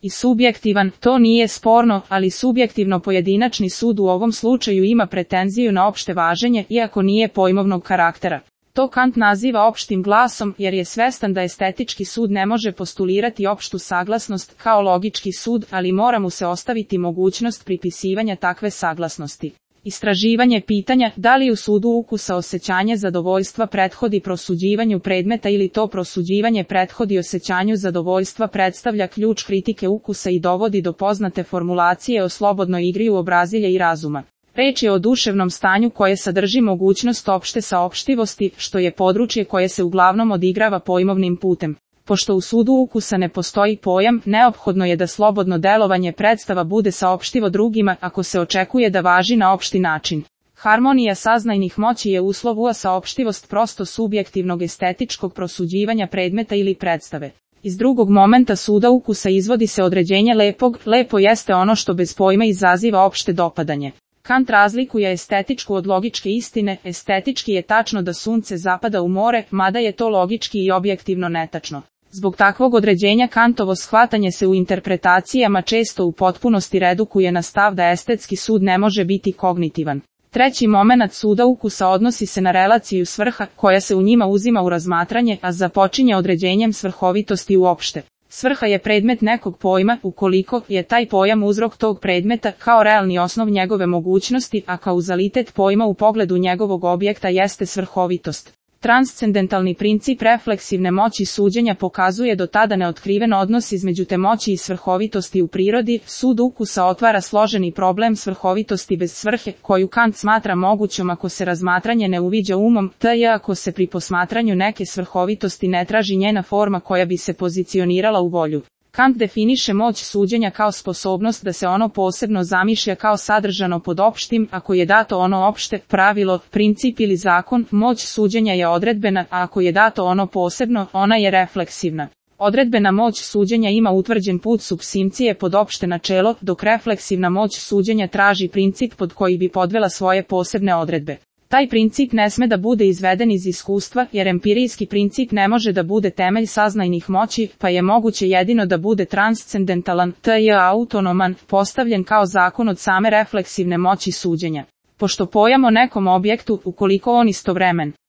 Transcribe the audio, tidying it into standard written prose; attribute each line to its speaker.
Speaker 1: i subjektivan, to nije sporno, ali subjektivno pojedinačni sud u ovom slučaju ima pretenziju na opšte važenje, iako nije pojmovnog karaktera. To Kant naziva opštim glasom, jer je svestan da estetički sud ne može postulirati opštu saglasnost kao logički sud, ali mora mu se ostaviti mogućnost pripisivanja takve saglasnosti. Istraživanje pitanja da li u sudu ukusa osjećanje zadovoljstva prethodi prosuđivanju predmeta ili to prosuđivanje prethodi osjećanju zadovoljstva predstavlja ključ kritike ukusa i dovodi do poznate formulacije o slobodnoj igri uobrazilja i razuma. Reč je o duševnom stanju koje sadrži mogućnost opšte saopštivosti, što je područje koje se uglavnom odigrava pojmovnim putem. Pošto u sudu ukusa ne postoji pojam, neophodno je da slobodno delovanje predstava bude saopštivo drugima ako se očekuje da važi na opšti način. Harmonija saznajnih moći je uslov saopštivost prosto subjektivnog estetičkog prosuđivanja predmeta ili predstave. Iz drugog momenta suda ukusa izvodi se određenje lepog, lepo jeste ono što bez pojma izaziva opšte dopadanje. Kant razlikuje estetičku od logičke istine, estetički je tačno da sunce zapada u more, mada je to logički i objektivno netačno. Zbog takvog određenja Kantovo shvatanje se u interpretacijama često u potpunosti redukuje na stav da estetski sud ne može biti kognitivan. Treći momenat suda ukusa odnosi se na relaciju svrha, koja se u njima uzima u razmatranje, a započinje određenjem svrhovitosti uopšte. Svrha je predmet nekog pojma, ukoliko je taj pojam uzrok tog predmeta kao realni osnov njegove mogućnosti, a kauzalitet pojma u pogledu njegovog objekta jeste svrhovitost. Transcendentalni princip refleksivne moći suđenja pokazuje do tada neotkriven odnos između te moći i svrhovitosti u prirodi. Sud ukusa otvara složeni problem svrhovitosti bez svrhe, koju Kant smatra mogućom ako se razmatranje ne uviđa umom, t.j. ako se pri posmatranju neke svrhovitosti ne traži njena forma koja bi se pozicionirala u volju. Kant definiše moć suđenja kao sposobnost da se ono posebno zamišlja kao sadržano pod opštim, ako je dato ono opšte, pravilo, princip ili zakon, moć suđenja je odredbena, a ako je dato ono posebno, ona je refleksivna. Odredbena moć suđenja ima utvrđen put supsimcije pod opšte načelo, dok refleksivna moć suđenja traži princip pod koji bi podvela svoje posebne odredbe. Taj princip ne sme da bude izveden iz iskustva, jer empirijski princip ne može da bude temelj saznajnih moći, pa je moguće jedino da bude transcendentalan, t.j. autonoman, postavljen kao zakon od same refleksivne moći suđenja. Pošto pojam o nekom objektu, ukoliko on istovremen